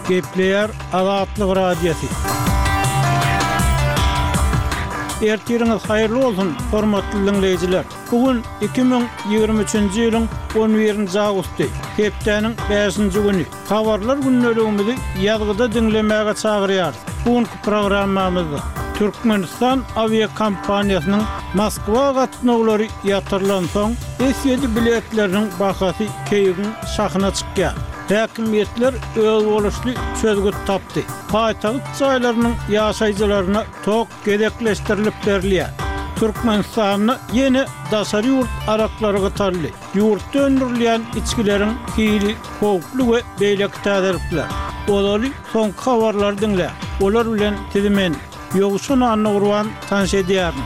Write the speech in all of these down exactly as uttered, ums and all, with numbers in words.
Gepleýär Azatlyk Radiosy. Ertiriňiz haýyrly bolsun, hormatly diňleýjiler! Bu gün iki müň ýigrimi üçünji ýylyň on birinji awgusty, hepdäniň bäşinji güni. Habarlar gündeligimizi ýazgyda diňlemäge çagyrýarys. Bu günki programmamyzda Türkmenistan awiakompaniýasynyň Moskwa gatnawlary ýatyrylansoň, S ýedi biletleriniň bahasy keýigiň şahyna çykýar. Häkimiýetler özboluşly çözgüt tapdy. Paýtagt jaýlarynyň ýaşaýjylaryna tok gezekleşdirilip berilýär. Türkmenistanda ýene daşary ýurt araklary gytaldy. Ýurtda öndürilýän içgileriň hili howply we beýleki täzelikler. Ozaly soňky habarlary diňläň. Olar bilen sizi men, Ýowşan Annagurban tanyş edýärin.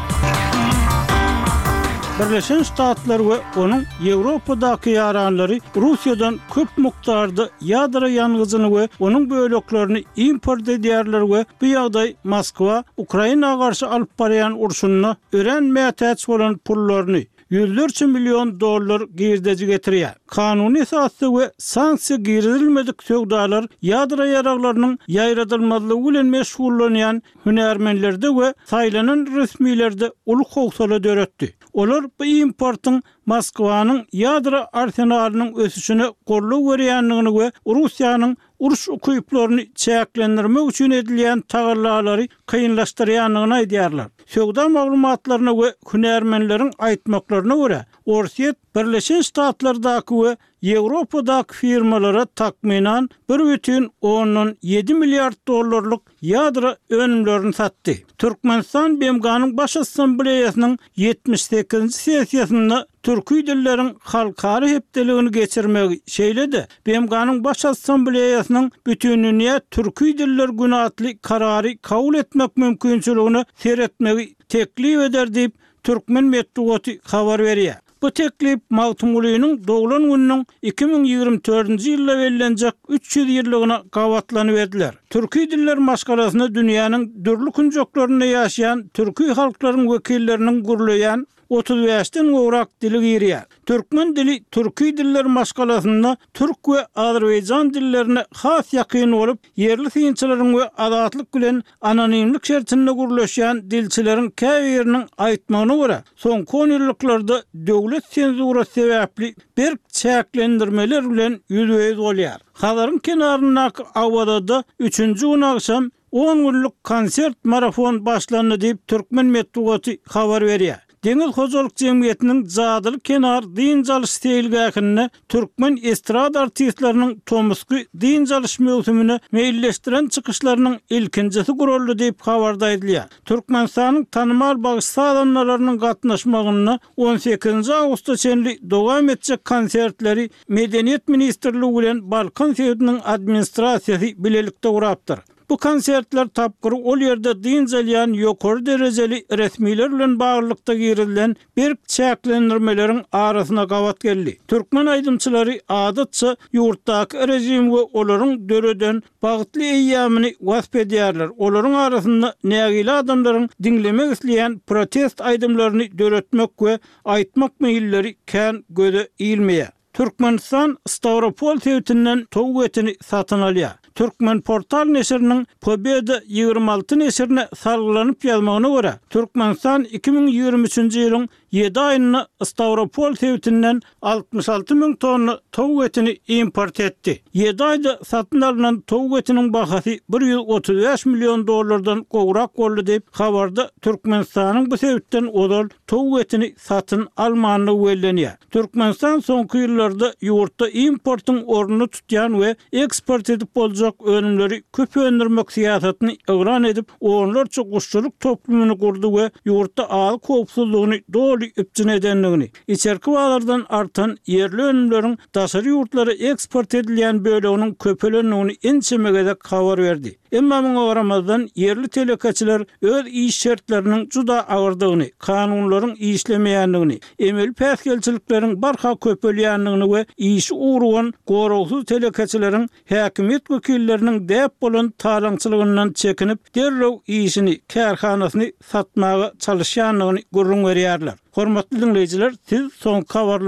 Birleşen Ştatlar we onuň Ýewropadaky ýaranlary Russiýadan köp mukdarda ýadro ýangyjyny we onuň böleklerini import edýärler we bu ýagdaý Moskwa Ukraina garşy alyp barýan urşunda örän mätäç bolan pullaryny, ýüzlerçe million dollar girdeji getirýär. Kanuny esasda we sanksiýa girizilmedik söwdalar ýadro ýaraglarynyň ýaýradylmazlygy bilen meşgullanýan hünärmenlerde we saýlanan resmilerde uly howsala döretdi. Olar bu importyň Moskwanyň ýadro arsenalynyň ösüşine goldaw berýändigini we Russiýanyň uruş ukyplaryny çäklendirmek üçin edilýän tagallalary kynlaşdyrýandygyny aýdýarlar. Söwda maglumatlaryna we hünärmenleriň aýtmaklaryna görä, Orsýet Birleşen Ştatlardaky we Ýewropadaky firmalara takmynan bir bütin ondan ýedi milliard dollarlyk ýadro önümlerini satdy. Türkmenistan B M G-nyň Baş Assambleýasynyň ýetmiş sekizinji sessiýasynda türki dilleriň halkara hepdeligini geçirmegi, şeýle-de B M G-nyň Baş Assambleýasynyň Bütindünýä Türki Diller Güni atly karary kabul etmek mümkinçiligine seretmegi teklip eder diýip, türkmen metbugaty habar berýär. Bu teklip Magtymgulynyň doglan gününiň iki müň ýigrimi dördünji ýylda bellenjek üç ýüz ýyllygyna gabatlanyp ediler. Türki diller maşgalasyna dünýäniň dürli künjeklerinde ýaşaýan türki halklaryň wekilleriniň gürleýän otuz bäşden gowrak dili girýär. Türkmen dili türki diller maşgalasynda türk we azerbaýjan dillerine has ýakyn bolup, ýerli synçylaryň we azatlyk bilen anonimlik şertinde gürleşýän dilçileriň käbiriniň aýtmagyna görä, soňky on ýyllyklarda döwlet senzurasy sebäpli berk çäklendirmeler bilen ýüzbe-ýüz bolýar. Hazaryň kenaryndaky Awazada üçünji gün agşam on günlük konsert marafon başlandy diýip türkmen metbugaty habar berýär. Deňiz hojalyk jemgyýetiniň Jadyly kenar dynç alyş seýilgähinde türkmen estrada artistleriniň tomusky dynç alyş möwsümine meýilleşdiren çykyşlarynyň ilkinjisi guraldy diýip habarda aýdylýar. Türkmenistanyň tanymal bagşy-sazandalarynyň gatnaşmagynda on sekizinji awgusta çenli dowam etjek konsertleri Medeniýet ministrligi bilen Balkan sebitiniň administrasiýasy bilelikde gurapdyr. Bu konsertler tapgyry ol ýerde dynç alýan ýokary derejeli resmiler bilen baglylykda girizilen berk çäklendirmeleriň arasyna gabat geldi. Türkmen aýdymçylary adatça ýurtdaky rejim we olaryň döreden bagtly eýýamyny wasp edýärler. Olaryň arasynda nägile adamlaryň diňlemek isleýän protest aýdymlaryny döretmek we aýtmak meýilleri kän göze ilmeýär. Türkmenistan Stawropol sebitinden towuk etini satyn alýar. Türkmenportal neşiriniň Pobeda ýigrimi alty neşirine salgylanyp ýazmagyna görä, Türkmenistan iki müň ýigrimi üçünji ýylyň ýedi aýynda Stawropol sebitinden altmyş alty müň tonna towuk etini import etdi. Ýedi aýda satyn alnan towuk etiniň bahasy bir ýüz otuz bäş million dollardan gowrak boldy diýip, habarda Türkmenistanyň bu sebitden ozal towuk etini satyn almandygy bellenýär. Türkmenistan soňky ýyllarda ýurtda importyň ornuny tutýan we eksport edip boljak önümleri köp öndürmek syýasatyny yglan edip, onlarça guşçulyk toplumyny gurdy we ýurtda azyk howpsuzlygyny doly üpjün edendigini, içerki bazardan artan ýerli önümleriň daşary ýurtlara eksport edilýän böleginiň köpelendigini ençeme gezek habar berdi. Emma muňa garamazdan ýerli telekeçiler öz iş şertleriniň juda agyrdygyny, kanunlaryň işlemeýändigini, emeli päsgelçilikleriň barha köpelýändigini we işi ugrugan goragsyz telekeçileriň häkimiýet wekilleriniň däp bolan talaňçylygyndan çekinip, derrew işini, kärhanasyny satmaga çalyşýandygyny gürrüň berýärler. Hormatly diňleýjiler, siz soňky habarlar